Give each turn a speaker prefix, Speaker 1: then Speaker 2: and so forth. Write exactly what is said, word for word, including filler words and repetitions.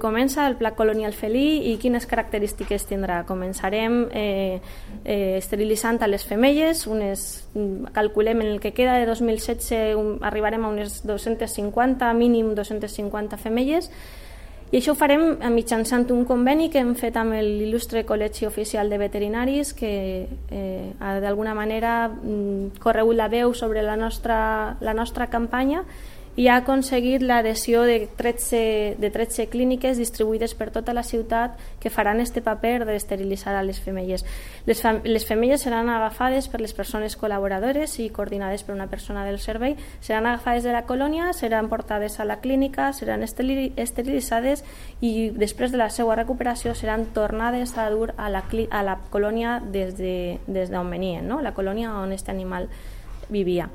Speaker 1: Comença el pla colonial felí i quines característiques tindrà. Començarem eh, eh, esterilitzant a les femelles, unes, calculem en el que queda de dos mil setze un, arribarem a unes dos-centes cinquanta, mínim dos-centes cinquanta femelles, i això ho farem mitjançant un conveni que hem fet amb l'il·lustre Col·legi Oficial de Veterinaris, que eh, ha d'alguna manera corregut la veu sobre la nostra, la nostra campanya i ha aconseguit l'adhesió de tretze, de tretze clíniques distribuïdes per tota la ciutat que faran este paper d'esterilitzar a les femelles. Les, fam les femelles seran agafades per les persones col·laboradores i coordinades per una persona del servei, seran agafades de la colònia, seran portades a la clínica, seran esterilitzades i després de la seva recuperació seran tornades a dur a la, a la colònia des d'on de, des venien, no? La colònia on aquest animal vivia.